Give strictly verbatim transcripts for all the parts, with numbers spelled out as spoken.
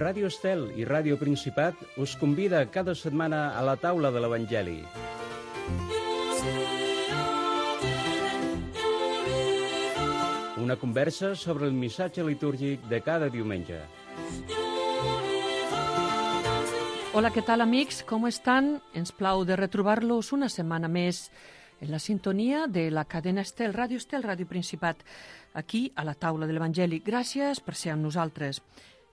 Ràdio Estel i Ràdio Principat us convida cada setmana a la taula de l'Evangeli. Una conversa sobre el missatge litúrgic de cada diumenge. Hola, què tal, amics? Com estan? Ens plau de retrobar-los una setmana més en la sintonia de la cadena Estel, Ràdio Estel, Ràdio Principat, aquí a la taula de l'Evangeli. Gràcies per ser amb nosaltres.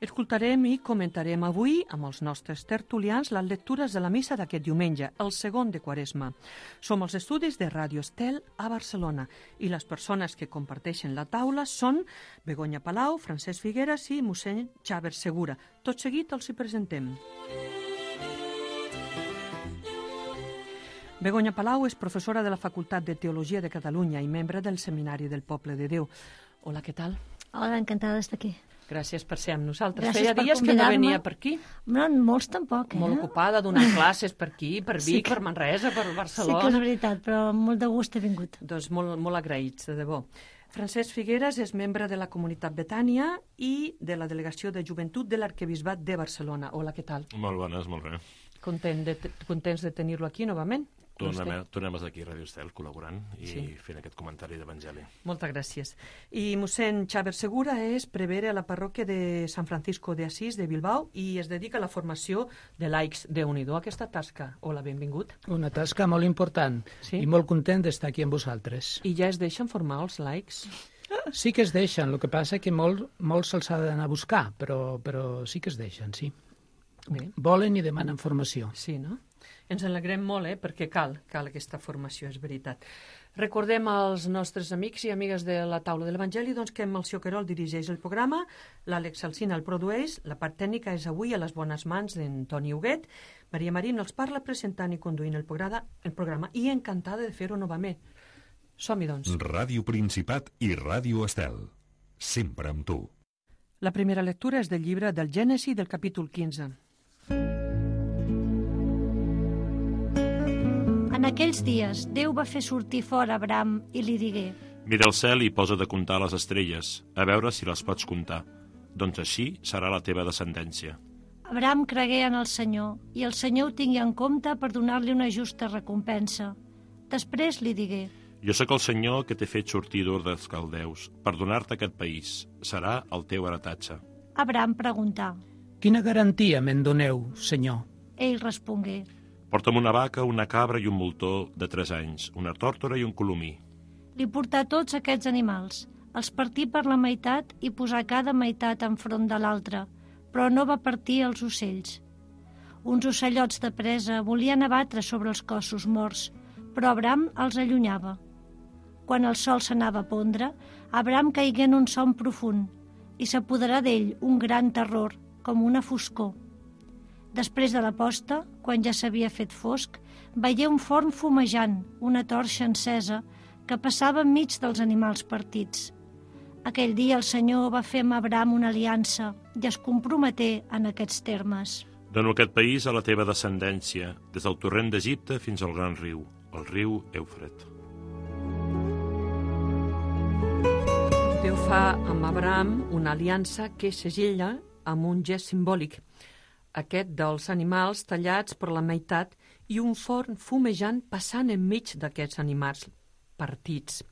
Escoltarem i comentarem avui amb els nostres tertulians les lectures de la missa d'aquest diumenge, el segon de Quaresma. Som als estudis de Ràdio Estel a Barcelona i les persones que comparteixen la taula són Begoña Palau, Francesc Figueras i mossèn Xaver Segura. Tot seguit els hi presentem. Begoña Palau és professora de la Facultat de Teologia de Catalunya i membre del Seminari del Poble de Déu. Hola, què tal? Hola, encantada d'estar aquí. Gràcies per ser amb nosaltres. Gràcies Feia per dies que no venia per aquí. No, molts tampoc, eh? Molt ocupada, donant classes per aquí, per Vic, Sí que- per Manresa, per Barcelona. Sí que és veritat, però amb molt de gust he vingut. Doncs molt, molt agraïts, de debò. Francesc Figueras és membre de la Comunitat Betània i de la Delegació de Joventut de l'Arquebisbat de Barcelona. Hola, què tal? Molt bones, molt bé. Content de, contents de tenir-lo aquí novament? Tornem, tornem aquí a Ràdio Estel col·laborant i Sí. fent aquest comentari d'Evangeli. Moltes gràcies. I mossèn Xaver Segura és prevere a la parròquia de Sant Francisco de Asís de Bilbao i es dedica a la formació de laics de Unido. Aquesta tasca. Hola, benvingut. Una tasca molt important Sí? i molt content d'estar aquí amb vosaltres. I ja es deixen formar els laics? Sí que es deixen, el que passa que molt, molt se'ls ha d'anar a buscar, però, però sí que es deixen, sí. Bé. Volen i demanen formació. Sí, no? Ens alegrem molt, eh? Perquè cal, cal aquesta formació, és veritat. Recordem als nostres amics i amigues de la taula de l'Evangeli doncs, que Melcior Querol dirigeix el programa, l'Àlex Alsina el produeix, la part tècnica és avui a les bones mans d'en Toni Huguet, Maria Marín els parla presentant i conduint el programa, el programa i encantada de fer-ho novament. Som-hi, doncs. Ràdio Principat i Ràdio Estel. Sempre amb tu. La primera lectura és del llibre del Gènesi del capítol quinze. En aquells dies, Déu va fer sortir fora Abraham i li digué: Mira el cel i posa't a comptar les estrelles, a veure si les pots comptar. Doncs així serà la teva descendència. Abraham cregué en el Senyor, i el Senyor ho tingui en compte per donar-li una justa recompensa. Després li digué: Jo sóc el Senyor que t'he fet sortir d'Ur dels Caldeus per donar-te aquest país. Serà el teu heretatge. Abraham preguntà. Quina garantia me'n doneu, senyor? Ell respongué: Porta'm una vaca, una cabra i un moltó de tres anys, una tòrtora i un colomí. Li portà tots aquests animals, els partí per la meitat i posà cada meitat enfront de l'altra, però no va partir els ocells. Uns ocellots de presa volien abatre sobre els cossos morts, però Abraham els allunyava. Quan el sol s'anava a pondre, Abraham caigué en un son profund i s'apoderà d'ell un gran terror, com una foscor. Després de la posta, quan ja s'havia fet fosc, veié un forn fumejant, una torxa encesa, que passava enmig dels animals partits. Aquell dia el Senyor va fer amb Abraham una aliança i es comprometé en aquests termes. Dono aquest país a la teva descendència, des del torrent d'Egipte fins al gran riu, el riu Eufret. Déu fa amb Abraham una aliança que segella amb un gest simbòlic, aquest dels animals tallats per la meitat i un forn fumejant passant enmig d'aquests animals partits.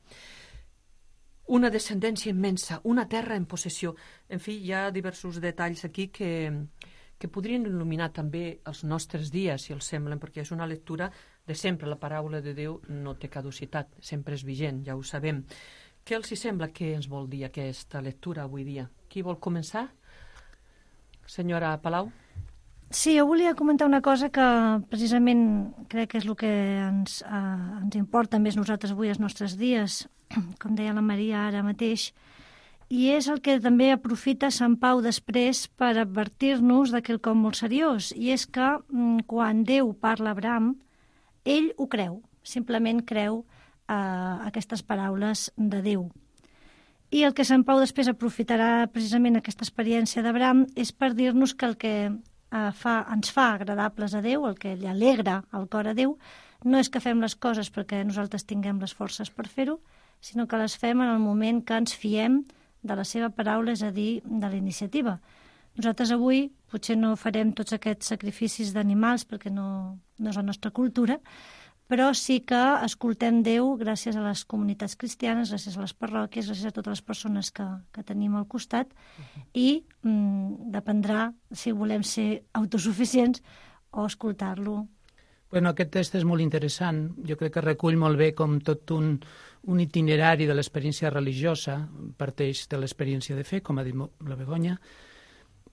Una descendència immensa, una terra en possessió. En fi, hi ha diversos detalls aquí que, que podrien il·luminar també els nostres dies, si els semblen, perquè és una lectura de sempre. La paraula de Déu no té caducitat, sempre és vigent, ja ho sabem. Què els hi sembla que ens vol dir aquesta lectura avui dia? Qui vol començar? Senyora Palau? Sí, jo volia comentar una cosa que precisament crec que és el que ens, eh, ens importa més nosaltres avui als nostres dies, com deia la Maria ara mateix, i és el que també aprofita Sant Pau després per advertir-nos de quelcom molt seriós, i és que mm, quan Déu parla a Abraham, ell ho creu, simplement creu eh, aquestes paraules de Déu. I el que Sant Pau després aprofitarà precisament aquesta experiència d'Abraham és per dir-nos que el que eh, fa, ens fa agradables a Déu, el que li alegra el cor a Déu, no és que fem les coses perquè nosaltres tinguem les forces per fer-ho, sinó que les fem en el moment que ens fiem de la seva paraula, és a dir, de la iniciativa. Nosaltres avui potser no farem tots aquests sacrificis d'animals perquè no, no és la nostra cultura, però sí que escoltem Déu gràcies a les comunitats cristianes, gràcies a les parròquies, gràcies a totes les persones que, que tenim al costat, i mm, dependrà si volem ser autosuficients o escoltar-lo. Bueno, aquest test és molt interessant. Jo crec que recull molt bé com tot un, un itinerari de l'experiència religiosa, parteix de l'experiència de fe, com ha dit la Begoña.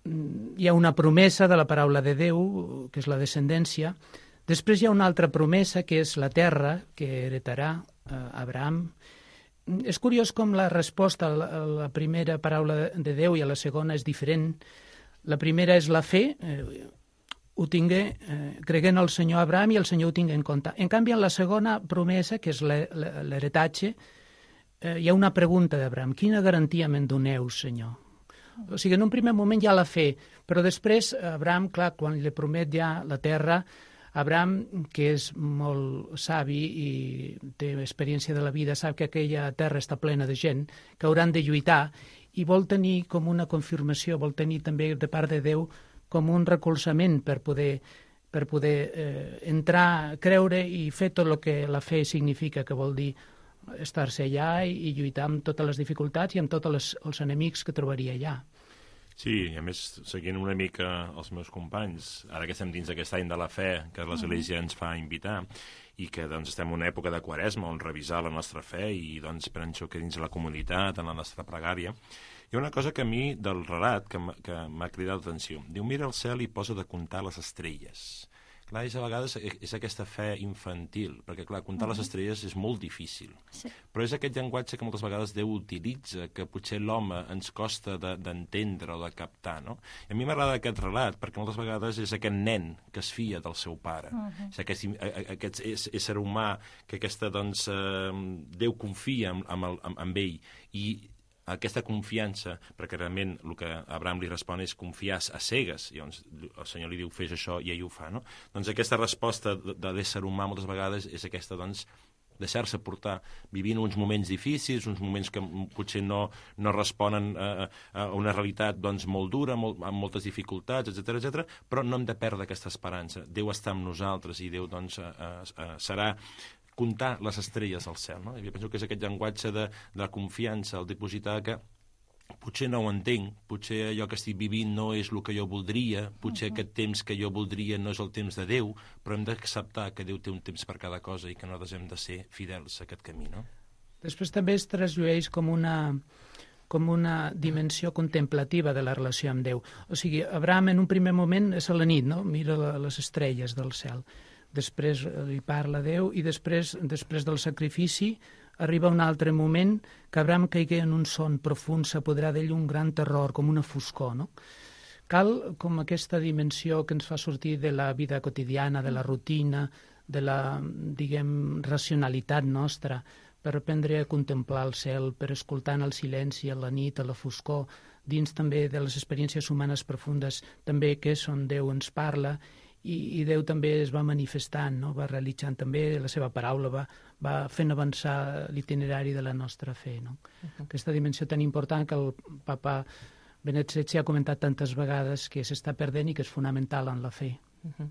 Hi ha una promesa de la paraula de Déu, que és la descendència. Després hi ha una altra promesa, que és la terra, que heretarà eh, Abraham. És curiós com la resposta a la, a la primera paraula de Déu i a la segona és diferent. La primera és la fe, eh, ho tingué, eh, creguent el Senyor Abraham i el Senyor ho tingué en compte. En canvi, en la segona promesa, que és l'heretatge, eh, hi ha una pregunta d'Abraham. Quina garantia me'n doneu, Senyor? O sigui, en un primer moment hi ha la fe, però després Abraham, clar, quan li promet ja la terra, Abraham, que és molt savi i té experiència de la vida, sap que aquella terra està plena de gent, que hauran de lluitar, i vol tenir com una confirmació, vol tenir també de part de Déu com un recolzament per poder, per poder eh, entrar, creure i fer tot el que la fe significa, que vol dir estar-se allà i, i lluitar amb totes les dificultats i amb tots els, els enemics que trobaria allà. Sí, i a més, seguint una mica els meus companys, ara que estem dins d'aquest any de la fe que l'Església ens fa invitar, i que doncs, estem en una època de Quaresma on revisar la nostra fe i doncs, penso que dins la comunitat, en la nostra pregària, hi ha una cosa que a mi, del relat, que m'ha cridat l'atenció. Diu, mira el cel i posa de comptar les estrelles. Clar, és a vegades és aquesta fe infantil, perquè, clar, comptar les estrelles és molt difícil. Sí. Però és aquest llenguatge que moltes vegades Déu utilitza, que potser l'home ens costa d'entendre o de captar, no? I a mi m'agrada aquest relat, perquè moltes vegades és aquest nen que es fia del seu pare. Uh -huh. És aquest, aquest ésser humà que aquesta, doncs, eh, Déu confia en, en, el, en, en ell, i aquesta confiança, perquè realment el que Abraham li respon és confiar a cegues, i llavors el Senyor li diu fes això i ell ho fa, no? Doncs aquesta resposta de, de l'ésser humà moltes vegades és aquesta, doncs, deixar-se portar, vivint uns moments difícils, uns moments que potser no, no responen a, a una realitat doncs, molt dura, molt, amb moltes dificultats, etcètera, etcètera, però no hem de perdre aquesta esperança. Déu està amb nosaltres i Déu doncs, a, a, a, serà comptar les estrelles al cel, no? I jo penso que és aquest llenguatge de, de la confiança, el dipositar que potser no ho entenc, potser allò que estic vivint no és el que jo voldria, potser uh -huh. aquest temps que jo voldria no és el temps de Déu, però hem d'acceptar que Déu té un temps per cada cosa i que nosaltres hem de ser fidels a aquest camí, no? Després també es trasllueix com una, com una dimensió contemplativa de la relació amb Déu. O sigui, Abraham en un primer moment és a la nit, no? Mira la, les estrelles del cel. Després li parla a Déu i després, després del sacrifici arriba un altre moment que Abraham caigué en un son profund, s'apoderà d'ell un gran terror, com una foscor, no? Cal com aquesta dimensió que ens fa sortir de la vida quotidiana, de la rutina, de la, diguem, racionalitat nostra, per aprendre a contemplar el cel, per escoltar en el silenci, a la nit, a la foscor, dins també de les experiències humanes profundes, també que és on Déu ens parla, i, i Déu també es va manifestant, no? Va realitzant també la seva paraula, va, va fent avançar l'itinerari de la nostra fe, no? Uh-huh. Aquesta dimensió tan important que el papa Benet setze ha comentat tantes vegades que s'està perdent i que és fonamental en la fe. Uh-huh.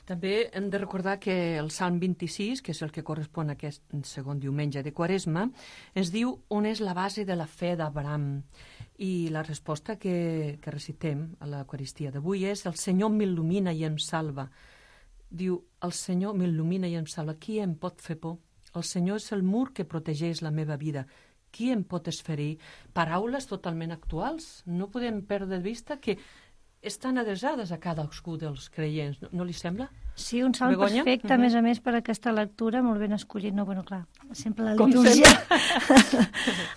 També hem de recordar que el Salm vint-i-sis, que és el que correspon a aquest segon diumenge de Quaresma, ens diu on és la base de la fe d'Abraham. I la resposta que, que recitem a l'Eucaristia d'avui és el Senyor m'il·lumina i em salva. Diu, el Senyor m'il·lumina i em salva. Qui em pot fer por? El Senyor és el mur que protegeix la meva vida. Qui em pot esferir? Paraules totalment actuals. No podem perdre de vista que estan adreçades a cadascú dels creients, no, no li sembla? Sí, un salm Begoña? perfecte, uh-huh. a més a més, per aquesta lectura, molt ben escollit. No, bueno, clar, sempre la Com litúrgia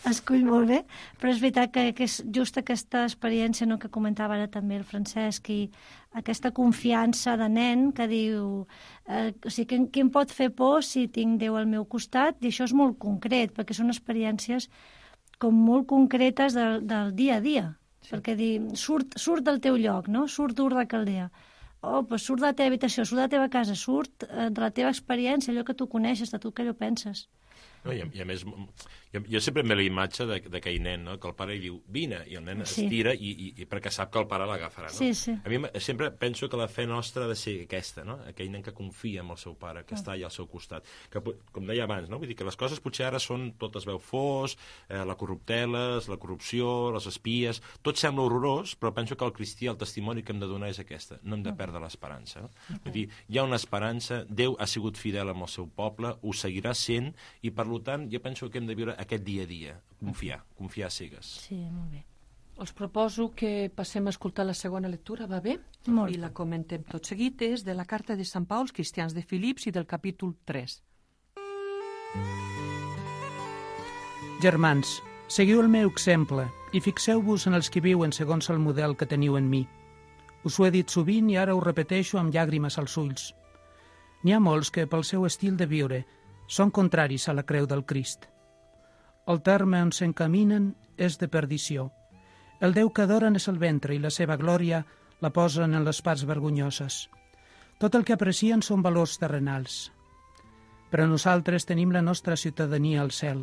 escull molt bé, però és veritat que, que és just aquesta experiència, no, que comentava ara també el Francesc, i aquesta confiança de nen que diu, eh, o sigui, qui, qui em pot fer por si tinc Déu al meu costat? I això és molt concret, perquè són experiències com molt concretes del, del dia a dia. Sí. Perquè dir, surt, surt del teu lloc, no? Surt d'Ur de Caldea. Oh, pues surt de la teva habitació, surt de la teva casa, surt de la teva experiència, allò que tu coneixes, de tu que allò penses. No, i, a, I a més, hi Jo, jo sempre em ve la imatge d'aquell nen, no? Que el pare li diu, vine, i el nen sí. es tira i, i, i perquè sap que el pare l'agafarà. No? Sí, sí. A mi sempre penso que la fe nostra ha de ser aquesta, no? Aquell nen que confia en el seu pare, que ah. està allà al seu costat. Que, com deia abans, no? Vull dir que les coses potser ara són, tot es veu fos, eh, la corrupteles, la corrupció, les espies, tot sembla horrorós, però penso que el cristià, el testimoni que hem de donar és aquesta, no hem de perdre l'esperança. No? Okay. Vull dir, hi ha una esperança, Déu ha sigut fidel amb el seu poble, ho seguirà sent, i per tant jo penso que hem de viure aquest dia a dia, confiar, confiar a cegues. Sí, molt bé. Us proposo que passem a escoltar la segona lectura, va bé? Molt. I la comentem tot seguit, és de la carta de Sant Pau als cristians de Filips i del capítol tres. Germans, seguiu el meu exemple i fixeu-vos en els que viuen segons el model que teniu en mi. Us ho he dit sovint i ara ho repeteixo amb llàgrimes als ulls. N'hi ha molts que, pel seu estil de viure, són contraris a la creu del Crist. El terme on s'encaminen és de perdició. El Déu que adoren és el ventre i la seva glòria la posen en les parts vergonyoses. Tot el que aprecien són valors terrenals. Però nosaltres tenim la nostra ciutadania al cel.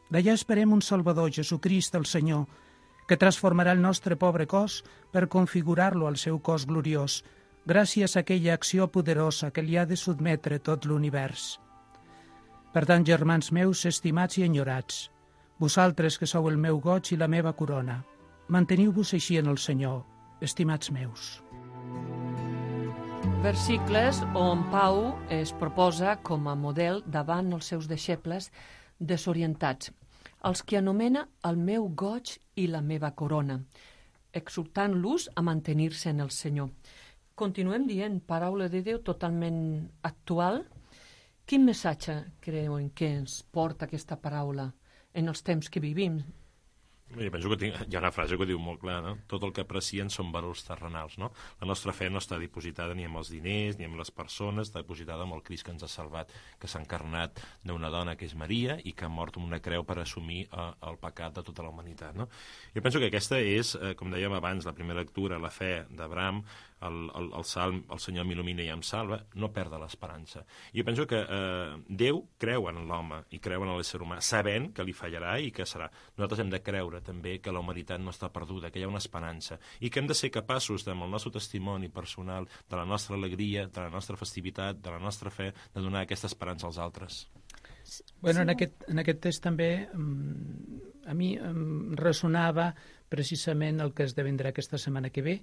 D'allà esperem un Salvador, Jesucrist el Senyor, que transformarà el nostre pobre cos per configurar-lo al seu cos gloriós, gràcies a aquella acció poderosa que li ha de sotmetre tot l'univers. Per tant, germans meus, estimats i enyorats, vosaltres que sou el meu goig i la meva corona, manteniu-vos així en el Senyor, estimats meus. Versicles on Pau es proposa com a model davant els seus deixebles desorientats, els que anomena el meu goig i la meva corona, exhortant-los a mantenir-se en el Senyor. Continuem dient paraula de Déu totalment actual. Quin missatge creuen que ens porta aquesta paraula en els temps que vivim? Jo penso que tinc, hi ha una frase que diu molt clar, no? Tot el que aprecien són valors terrenals, no? La nostra fe no està dipositada ni amb els diners ni amb les persones, està dipositada amb el Crist que ens ha salvat, que s'ha encarnat d'una dona que és Maria i que ha mort amb una creu per assumir eh, el pecat de tota la humanitat, no? Jo penso que aquesta és, eh, com dèiem abans, la primera lectura, la fe d'Abraham, el, el, el salm, el Senyor m'il·lumina i em salva, no perda l'esperança. Jo penso que eh, Déu creu en l'home i creu en l'ésser humà, sabent que li fallarà i que serà. Nosaltres hem de creure també que la humanitat no està perduda, que hi ha una esperança i que hem de ser capaços, amb el nostre testimoni personal, de la nostra alegria, de la nostra festivitat, de la nostra fe, de donar aquesta esperança als altres. Bueno, en aquest, en aquest text també a mi em ressonava precisament el que esdevindrà aquesta setmana que ve,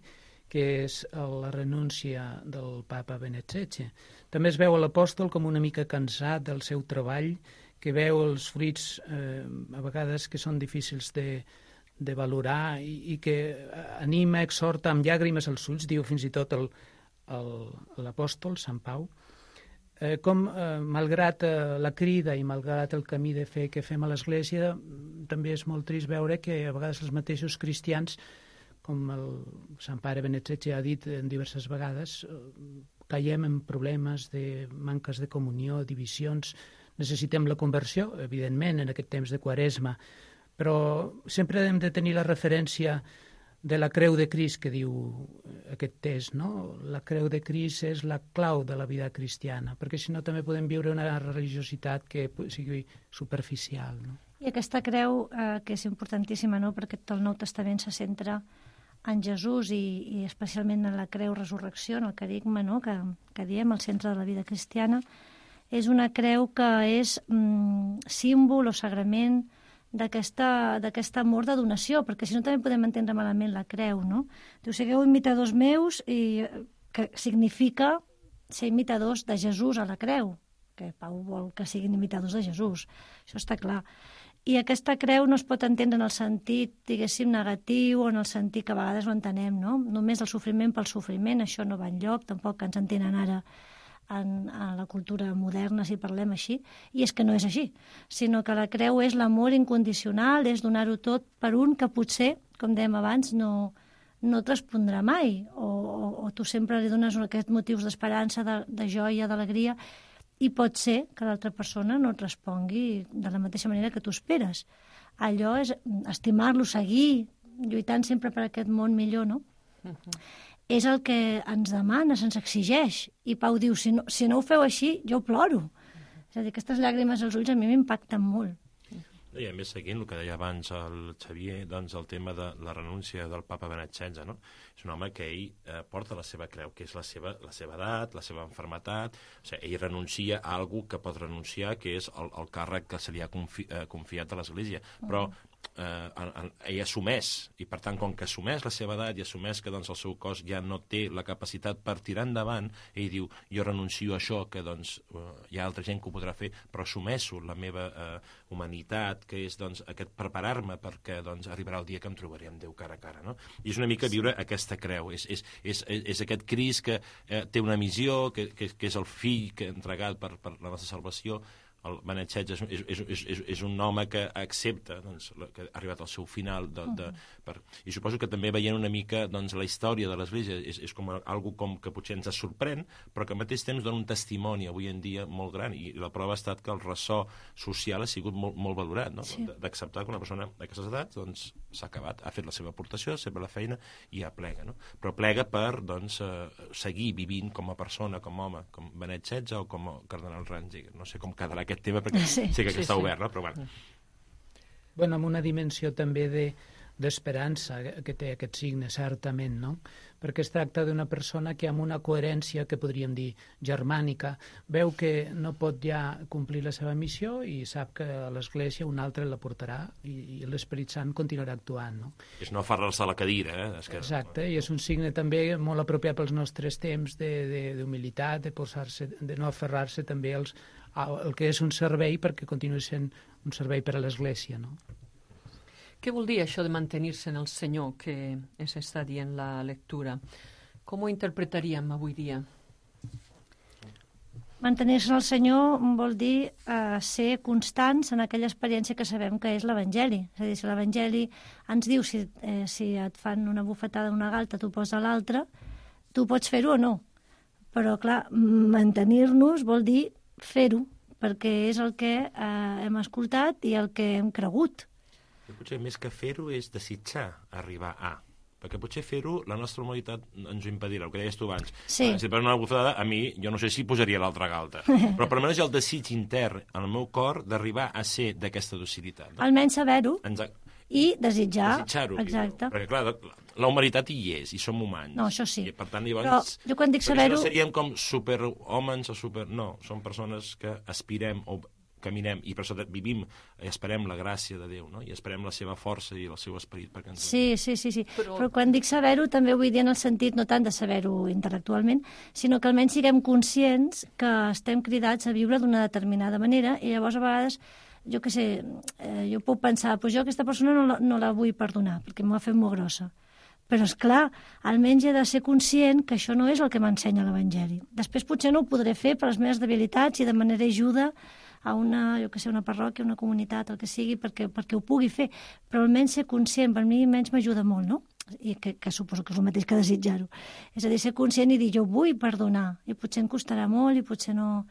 que és la renúncia del papa Benet setze. També es veu l'apòstol com una mica cansat del seu treball, que veu els fruits eh, a vegades que són difícils de, de valorar i, i que anima, exhorta amb llàgrimes als ulls, diu fins i tot el, el, l'apòstol Sant Pau, eh, com eh, malgrat eh, la crida i malgrat el camí de fe que fem a l'Església, també és molt trist veure que a vegades els mateixos cristians, com el Sant Pare Benet setze ha dit en diverses vegades, caiem en problemes de manques de comunió, divisions. Necessitem la conversió, evidentment, en aquest temps de Quaresma, però sempre hem de tenir la referència de la creu de Crist que diu aquest text, no? La creu de Crist és la clau de la vida cristiana, perquè si no també podem viure una religiositat que sigui superficial, no? I aquesta creu, eh, que és importantíssima, no?, perquè tot el Nou Testament se centra en Jesús i, i especialment en la creu resurrecció, en el carigma, no?, que, que diem, al centre de la vida cristiana, és una creu que és mm, símbol o sagrament d'aquesta d'aquest amor de donació, perquè si no també podem entendre malament la creu, no? Diu, sigueu imitadors meus, i que significa ser imitadors de Jesús a la creu, que Pau vol que siguin imitadors de Jesús, això està clar. I aquesta creu no es pot entendre en el sentit, diguéssim, negatiu o en el sentit que a vegades ho entenem, no? Només el sofriment pel sofriment, això no va enlloc, tampoc que ens entenen ara en, en la cultura moderna, si parlem així, i és que no és així, sinó que la creu és l'amor incondicional, és donar-ho tot per un que potser, com dèiem abans, no, no et respondrà mai, o, o, o tu sempre li dones aquests motius d'esperança, de, de joia, d'alegria, i pot ser que l'altra persona no et respongui de la mateixa manera que tu esperes. Allò és estimar-lo, seguir, lluitant sempre per aquest món millor, no? Uh-huh. És el que ens demana, se'ns exigeix. I Pau diu, si no, si no ho feu així, jo ploro. Uh-huh. És a dir, aquestes llàgrimes als ulls a mi m'impacten molt. I a més, seguint el que deia abans el Xavier, doncs el tema de la renúncia del papa Benet setze, no? És un home que ell eh, porta la seva creu, que és la seva, la seva edat, la seva enfermetat, o sigui, ell renuncia a algú que pot renunciar, que és el, el càrrec que se li ha confi, eh, confiat a l'Església, però eh, en, en, ell assumeix, i per tant, com que assumeix la seva edat i assumeix que doncs, el seu cos ja no té la capacitat per tirar endavant, ell diu, jo renuncio a això, que doncs, eh, hi ha altra gent que ho podrà fer, però assumeixo la meva eh, humanitat, que és doncs, aquest preparar-me perquè doncs, arribarà el dia que em trobaré amb Déu cara a cara. No? I és una mica viure aquesta creu, és, és, és, és aquest Crist que eh, té una missió, que, que, que és el fill que ha entregat per, per la nostra salvació. El Benet setze és, és, és, és, és un home que accepta doncs, que ha arribat al seu final. De, de, per... I suposo que també veient una mica doncs, la història de l'Església és, és com algo com que potser ens sorprèn, però que al mateix temps dona un testimoni avui en dia molt gran, i la prova ha estat que el ressò social ha sigut molt, molt valorat, no? Sí. D'acceptar que una persona d'aquestes edats doncs, s'ha acabat, ha fet la seva aportació, sempre la feina, i ja plega. No? Però plega per doncs, eh, seguir vivint com a persona, com a home, com Benet setze o com a cardenal Ratzinger. No sé com quedarà aquest tema, perquè sí, sé que sí, està sí. obert, no? Però bueno. Bueno, amb una dimensió també de d'esperança que té aquest signe, certament, no? Perquè es tracta d'una persona que amb una coherència, que podríem dir germànica, veu que no pot ja complir la seva missió i sap que a l'Església un altre la portarà i, i l'Esperit Sant continuarà actuant, no? És no aferrar-se a la cadira, eh? És que... Exacte, i és un signe també molt apropiat pels nostres temps d'humilitat, de, de, posar-se, de no aferrar-se també als, al que és un servei, perquè continua sent un servei per a l'Església, no? Què vol dir això de mantenir-se en el Senyor que ens està dient la lectura? Com ho interpretaríem avui dia? Mantenir-se en el Senyor vol dir eh, ser constants en aquella experiència que sabem que és l'Evangeli. És a dir, si l'Evangeli ens diu si, eh, si et fan una bufetada d'una galta, tu posa l'altra, tu pots fer-ho o no. Però, clar, mantenir-nos vol dir fer-ho, perquè és el que eh, hem escoltat i el que hem cregut. Potser més que fer-ho és desitjar arribar a. Perquè potser fer-ho, la nostra humanitat ens ho impedirà, el que deies tu abans. Sí. Si et pren una bufetada, a mi, jo no sé si posaria l'altra galta. Però per almenys hi ha el desig intern en el meu cor d'arribar a ser d'aquesta docilitat. No? Almenys saber-ho Ens... i desitjar. Desitjar-ho. Exacte. Perquè, clar, la humanitat hi és, i som humans. No, això sí. I, per tant, llavors... Però jo quan dic saber-ho... No seríem com superhòmens o super... No, som persones que aspirem o caminem, i per això vivim i esperem la gràcia de Déu, no? I esperem la seva força i el seu esperit perquè ens... Sí, sí, sí, sí. Però... Però quan dic saber-ho també vull dir en el sentit no tant de saber-ho intel·lectualment, sinó que almenys siguem conscients que estem cridats a viure d'una determinada manera, i llavors a vegades, jo què sé, eh, jo puc pensar, pues jo aquesta persona no la, no la vull perdonar perquè m'ho ha fet molt grossa. Però, és clar, almenys he de ser conscient que això no és el que m'ensenya l'Evangeli. Després potser no ho podré fer per les meves debilitats i demanaré ajuda a una, jo que sé, una parròquia, una comunitat, el que sigui, perquè, perquè ho pugui fer. Però almenys ser conscient, per mi almenys m'ajuda molt, no? I que, que suposo que és el mateix que desitjar-ho. És a dir, ser conscient i dir, jo vull perdonar, i potser em costarà molt, i potser no...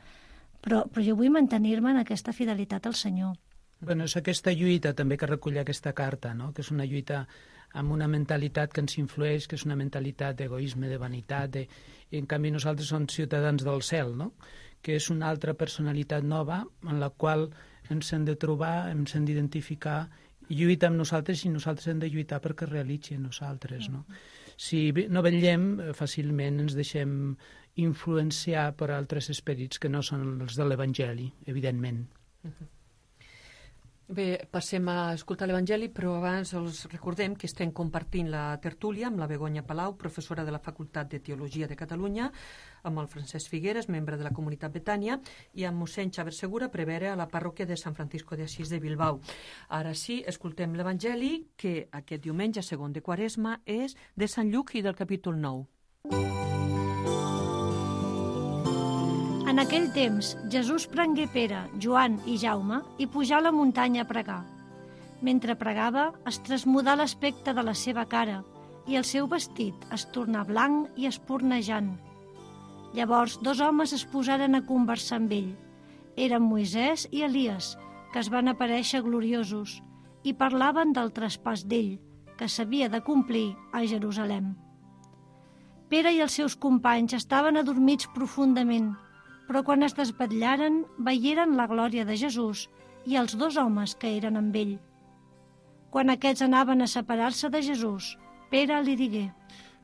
Però, però jo vull mantenir-me en aquesta fidelitat al Senyor. Bueno, és aquesta lluita també que recull aquesta carta, no? Que és una lluita amb una mentalitat que ens influeix, que és una mentalitat d'egoisme, de vanitat, de... i en canvi nosaltres som ciutadans del cel, no? Que és una altra personalitat nova en la qual ens hem de trobar, ens hem d'identificar i lluita amb nosaltres, i nosaltres hem de lluitar perquè realitzi nosaltres, no? Si no vetllem, fàcilment ens deixem influenciar per altres esperits que no són els de l'Evangeli, evidentment. Uh-huh. Bé, passem a escoltar l'Evangeli, però abans els recordem que estem compartint la tertúlia amb la Begoña Palau, professora de la Facultat de Teologia de Catalunya, amb el Francesc Figueres, membre de la comunitat Betània, i amb mossèn Xavier Segura, prevere a la parròquia de Sant Francisco de Asís de Bilbao. Ara sí, escoltem l'Evangeli, que aquest diumenge, segon de Quaresma, és de Sant Lluc i del capítol nou. En aquell temps, Jesús prengué Pere, Joan i Jaume i pujà a la muntanya a pregar. Mentre pregava, es trasmudà l'aspecte de la seva cara i el seu vestit es tornà blanc i espurnejant. Llavors, dos homes es posaren a conversar amb ell. Eren Moisès i Elies, que es van aparèixer gloriosos, i parlaven del traspàs d'ell, que s'havia de complir a Jerusalem. Pere i els seus companys estaven adormits profundament, però quan es desvetllaren, veieren la glòria de Jesús i els dos homes que eren amb ell. Quan aquests anaven a separar-se de Jesús, Pere li digué: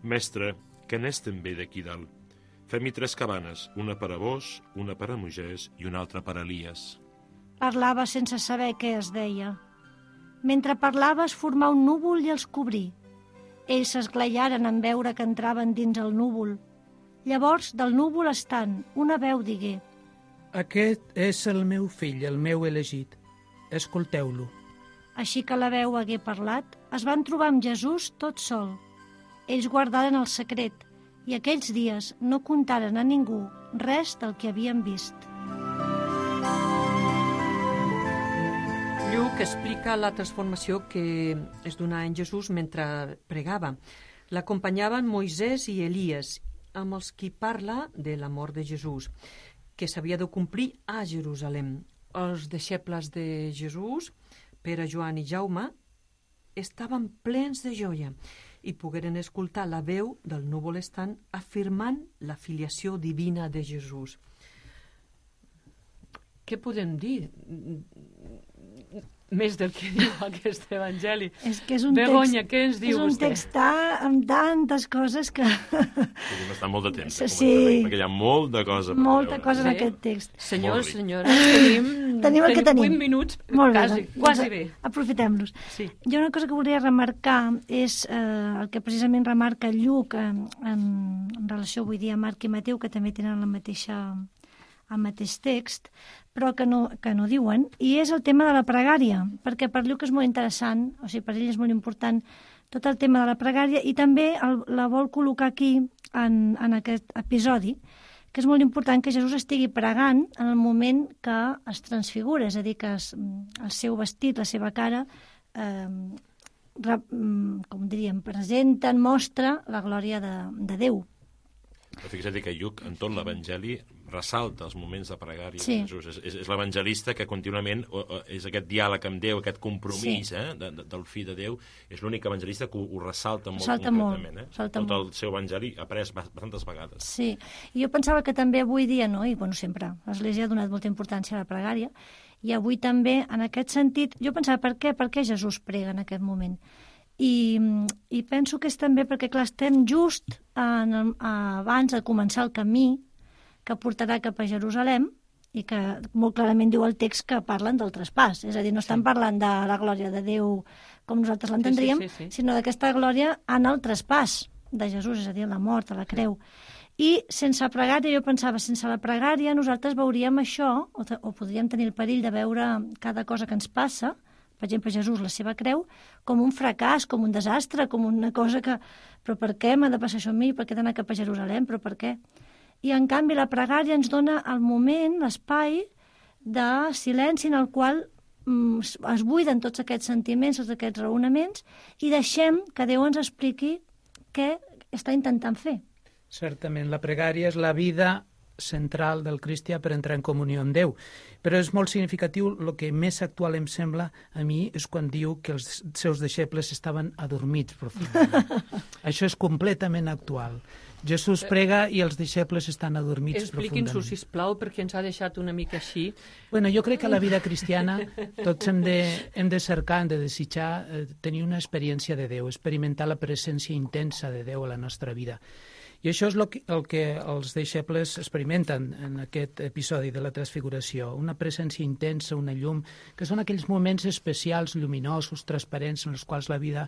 Mestre, que n'és també d'aquí dalt? Fem-hi tres cabanes, una per a vos, una per a Moisès i una altra per a Elies. Parlava sense saber què es deia. Mentre parlava es formà un núvol i els cobrí. Ells s'esglaiaren en veure que entraven dins el núvol. Llavors, del núvol estant, una veu digué: Aquest és el meu fill, el meu elegit. Escolteu-lo. Així que la veu hagué parlat, es van trobar amb Jesús tot sol. Ells guardaren el secret i aquells dies no contaren a ningú res del que havien vist. Lluc explica la transformació que es donà en Jesús mentre pregava. L'acompanyaven Moisès i Elies, amb els qui parla de la mort de Jesús, que s'havia de complir a Jerusalem. Els deixebles de Jesús, Pere, Joan i Jaume, estaven plens de joia i pogueren escoltar la veu del núvol estant afirmant la filiació divina de Jesús. Què podem dir més del que diu aquest evangeli? És que és un Begoña, text, què ens diu és un vostè? text amb tantes coses que... Podem estar molt de temps, Sí. sí. perquè hi ha molt de cosa per Molta veure. cosa en Sí. aquest text. Senyors, Molt ric. senyores, tenim, Tenim el que tenim. vuit minuts, Molt bé, quasi, doncs, quasi bé. Aprofitem-los. Sí. Jo una cosa que volia remarcar és eh, el que precisament remarca Lluc en, en, en relació avui dia a Marc i Mateu, que també tenen la mateixa, el mateix text, però que no, que no diuen, i és el tema de la pregària, perquè per Lluc és molt interessant, o sigui, per ell és molt important tot el tema de la pregària, i també el, la vol col·locar aquí en, en aquest episodi, que és molt important que Jesús estigui pregant en el moment que es transfigura, és a dir, que es, el seu vestit, la seva cara, eh, re, com diríem, presenten, mostra la glòria de, de Déu. Però fixa't que Lluc, en tot l'Evangeli, ressalta els moments de pregària Sí. de Jesús. És, és, és l'evangelista que contínuament o, o, és aquest diàleg amb Déu, aquest compromís Sí. eh, de, de, del fill de Déu. És l'únic evangelista que ho, ho ressalta molt Ressalta concretament. molt, Eh? ressalta Tot el molt. seu evangeli après bastantes vegades. Sí, i jo pensava que també avui dia, no? I bueno, sempre l'Església ha donat molta importància a la pregària, i avui també, en aquest sentit, jo pensava, per què, per què Jesús prega en aquest moment? I, i penso que és també perquè, clar, estem just en el, abans de començar el camí que portarà cap a Jerusalem, i que molt clarament diu el text que parlen del traspàs, és a dir, no estan parlant de la glòria de Déu com nosaltres l'entendríem, Sí, sí, sí, sí. sinó d'aquesta glòria en el traspàs de Jesús, és a dir, la mort, a la creu. I sense pregària, jo pensava, sense la pregària nosaltres veuríem això, o, o podríem tenir el perill de veure cada cosa que ens passa, per exemple, Jesús, la seva creu, com un fracàs, com un desastre, com una cosa que... Però per què m'ha de passar això a mi? Per què he d'anar cap a Jerusalem? Però per què? I, en canvi, la pregària ens dona el moment, l'espai de silenci en el qual mm, es buiden tots aquests sentiments, tots aquests raonaments, i deixem que Déu ens expliqui què està intentant fer. Certament, la pregària és la vida central del cristià per entrar en comunió amb Déu. Però és molt significatiu, el que més actual em sembla a mi és quan diu que els seus deixebles estaven adormits profundament. Això és completament actual. Jesús prega i els deixebles estan adormits Expliqui'ns-ho, profundament. sisplau, perquè ens ha deixat una mica així. Bueno, jo crec que a la vida cristiana tots hem de, hem de cercar, hem de desitjar eh, tenir una experiència de Déu, experimentar la presència intensa de Déu a la nostra vida. I això és el que, el que els deixebles experimenten en aquest episodi de la transfiguració, una presència intensa, una llum, que són aquells moments especials, lluminosos, transparents, en els quals la vida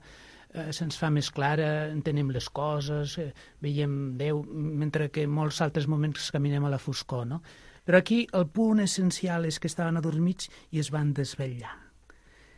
eh, se'ns fa més clara, entenem les coses, eh, veiem Déu, mentre que en molts altres moments caminem a la foscor, no? Però aquí el punt essencial és que estaven adormits i es van desvetllar.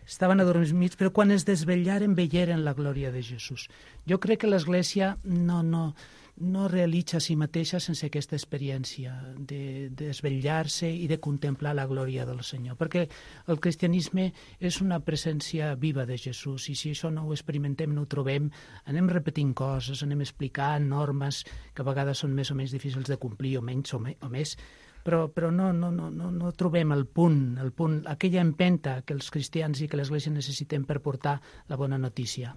Estaven adormits, però quan es desvetllaren veieren la glòria de Jesús. Jo crec que l'Església no, no, no realitza a si mateixa sense aquesta experiència de, de desvetllar-se i de contemplar la glòria del Senyor, perquè el cristianisme és una presència viva de Jesús, i si això no ho experimentem, no ho trobem, anem repetint coses, anem explicant normes que a vegades són més o menys difícils de complir, o menys o, me, o més, però, però no, no, no, no, no trobem el punt, el punt, aquella empenta que els cristians i que l'Església necessitem per portar la bona notícia.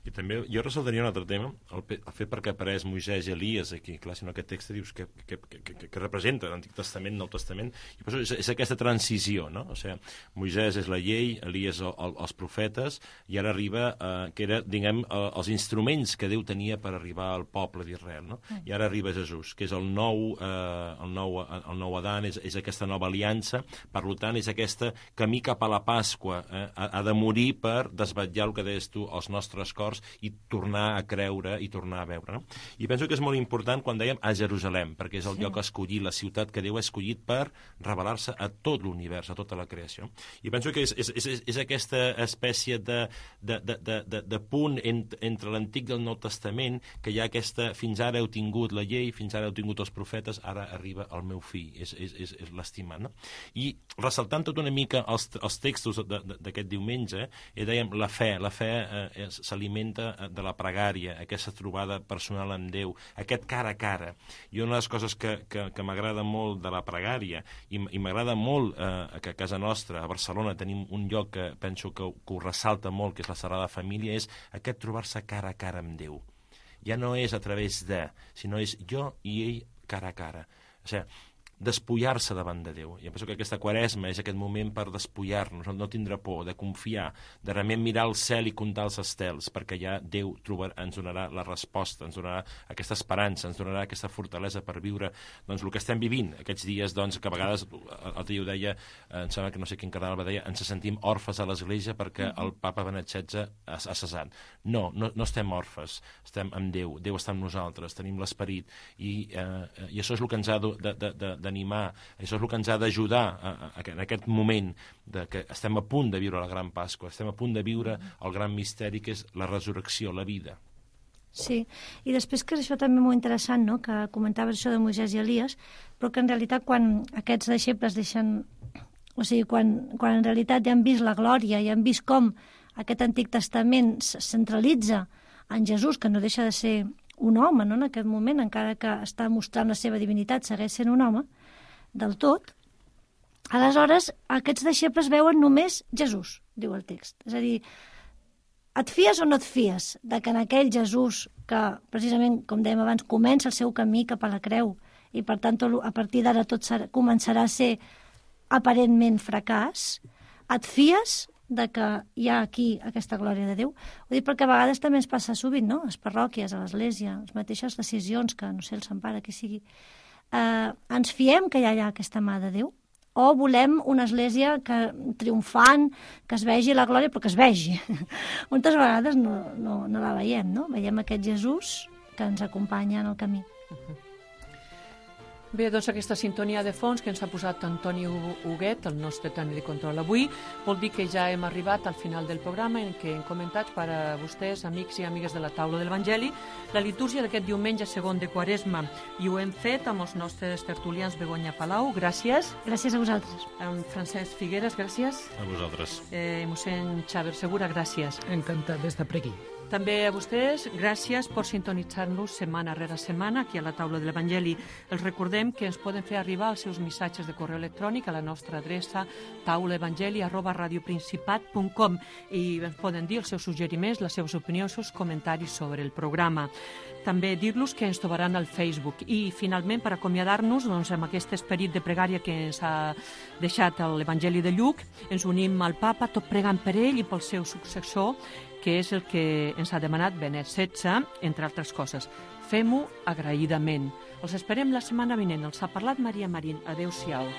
I també jo ressaltaria un altre tema, el, el fet perquè apareix Moisès i Elies aquí, clar, si no aquest text dius que, que, que, que, que representa l'Antic Testament, Nou Testament, i per això és, és aquesta transició, no? O sigui, Moisès és la llei, Elies el, el, els profetes, i ara arriba, eh, que era, diguem, eh, els instruments que Déu tenia per arribar al poble d'Israel, no? I ara arriba Jesús, que és el nou, eh, el nou, el nou Adán, és, és aquesta nova aliança, per tant, és aquest camí cap a la Pasqua, eh? ha, ha de morir per desvetllar el que deies tu, els nostres cors, i tornar a creure i tornar a veure. No? I penso que és molt important quan dèiem a Jerusalem, perquè és el sí. lloc escollit, la ciutat que Déu ha escollit per revelar-se a tot l'univers, a tota la creació. I penso que és, és, és, és aquesta espècie de, de, de, de, de, de punt ent, entre l'Antic i el Nou Testament, que hi ha aquesta, fins ara heu tingut la llei, fins ara heu tingut els profetes, ara arriba el meu fill, és, és, és, és l'estimat. No? I ressaltant tot una mica els, els textos d'aquest diumenge, eh, dèiem la fe, la fe eh, s'alimenta de la pregària, aquesta trobada personal amb Déu, aquest cara a cara. I una de les coses que, que, que m'agrada molt de la pregària, i, i m'agrada molt eh, que a casa nostra, a Barcelona, tenim un lloc que penso que, que ho ressalta molt, que és la Sagrada Família, és aquest trobar-se cara a cara amb Déu. Ja no és a través de, sinó és jo i ell cara a cara. O sigui, despullar-se davant de Déu. I em penso que aquesta quaresma és aquest moment per despullar-nos, no tindre por, de confiar, de realment mirar al cel i comptar els estels, perquè ja Déu trobar, ens donarà la resposta, ens donarà aquesta esperança, ens donarà aquesta fortalesa per viure doncs, el que estem vivint aquests dies, doncs, que a vegades, l'altre dia ho deia, em sembla que no sé quin cardenal va deia, ens sentim orfes a l'Església perquè el papa Benet setze ha, ha cessat. No, no, no estem orfes, estem amb Déu, Déu està amb nosaltres, tenim l'esperit, i, eh, i això és el que ens ha de, de, de, d'animar, això és el que ens ha d'ajudar a, a, en aquest moment de que estem a punt de viure la Gran Pasqua, estem a punt de viure el gran misteri que és la resurrecció, la vida. Sí, i després que és això també molt interessant, no?, que comentaves això de Moisès i Elies, però que en realitat quan aquests deixebles deixen, o sigui, quan, quan en realitat ja han vist la glòria i han vist com aquest Antic Testament es centralitza en Jesús, que no deixa de ser un home, no?, en aquest moment, encara que està mostrant la seva divinitat, segueix sent un home, del tot, aleshores aquests deixebles veuen només Jesús, diu el text. És a dir, et fies o no et fies de que en aquell Jesús que, precisament, com dèiem abans, comença el seu camí cap a la creu i, per tant, a partir d'ara tot serà, començarà a ser aparentment fracàs, et fies de que hi ha aquí aquesta glòria de Déu. Ho dic perquè a vegades també ens passa sovint, no?, a les parròquies, a l'Església, les mateixes decisions que, no sé, el Sant Pare, que sigui, eh, ens fiem que hi ha aquesta mà de Déu, o volem una església que triomfant, que es vegi la glòria, però que es vegi. Moltes vegades no, no, no la veiem, no? Veiem aquest Jesús que ens acompanya en el camí. Uh-huh. Bé, doncs aquesta sintonia de fons que ens ha posat Antoni Huguet, el nostre tècnic de control avui, vol dir que ja hem arribat al final del programa en què hem comentat per a vostès, amics i amigues de la taula de l'Evangeli, la litúrgia d'aquest diumenge segon de Quaresma. I ho hem fet amb els nostres tertulians Begoña Palau, gràcies. Gràcies a vosaltres. Amb Francesc Figueres, gràcies. A vosaltres. Eh, mossèn Xavier Segura, gràcies. Encantat d'estar per aquí. També a vostès, gràcies per sintonitzar-nos setmana rere setmana aquí a la taula de l'Evangeli. Els recordem que ens poden fer arribar els seus missatges de correu electrònic a la nostra adreça taulaevangeli arroba radioprincipat punt com i ens poden dir els seus suggeriments, les seves opinions, els seus comentaris sobre el programa. També dir-los que ens trobaran al Facebook. I, finalment, per acomiadar-nos, doncs, amb aquest esperit de pregària que ens ha deixat l'Evangeli de Lluc, ens unim al papa, tot pregant per ell i pel seu successor, que és el que ens ha demanat Benet setze, entre altres coses. Fem-ho agraïdament. Els esperem la setmana vinent. Els ha parlat Maria Marín. Adéu-siau.